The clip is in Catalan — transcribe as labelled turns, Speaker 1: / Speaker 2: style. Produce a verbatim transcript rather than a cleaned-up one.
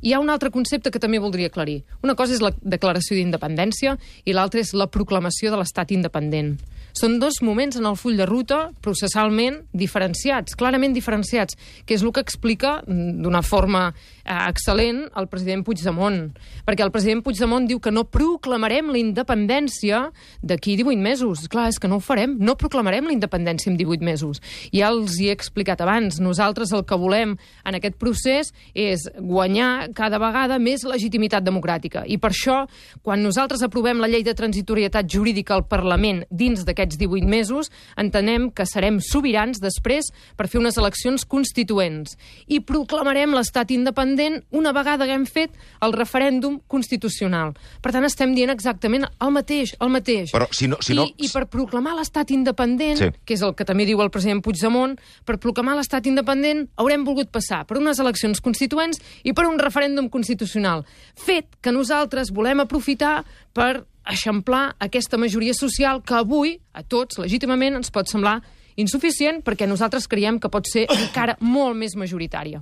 Speaker 1: Hi ha un altre concepte que també voldria aclarir. Una cosa és la declaració d'independència i l'altra és la proclamació de l'estat independent. Són dos moments en el full de ruta processalment diferenciats, clarament diferenciats, que és el que explica d'una forma eh, excel·lent el president Puigdemont. Perquè el president Puigdemont diu que no proclamarem la independència d'aquí divuit mesos. Clar, és que no ho farem. No proclamarem la independència en divuit mesos. Ja els hi he explicat abans. Nosaltres el que volem en aquest procés és guanyar cada vegada més legitimitat democràtica. I per això, quan nosaltres aprovem la llei de transitorietat jurídica al Parlament dins d'aquest divuit mesos, entenem que serem sobirans després per fer unes eleccions constituents i proclamarem l'estat independent una vegada que hem fet el referèndum constitucional. Per tant, estem dient exactament el mateix, el mateix.
Speaker 2: Però si no... Si no...
Speaker 1: I, I per proclamar l'estat independent,
Speaker 2: sí.
Speaker 1: que és el que també diu el president Puigdemont, per proclamar l'estat independent haurem volgut passar per unes eleccions constituents i per un referèndum constitucional. Fet que nosaltres volem aprofitar per eixamplar aquesta majoria social que avui, a tots, legítimament, ens pot semblar insuficient perquè nosaltres creiem que pot ser encara molt més majoritària.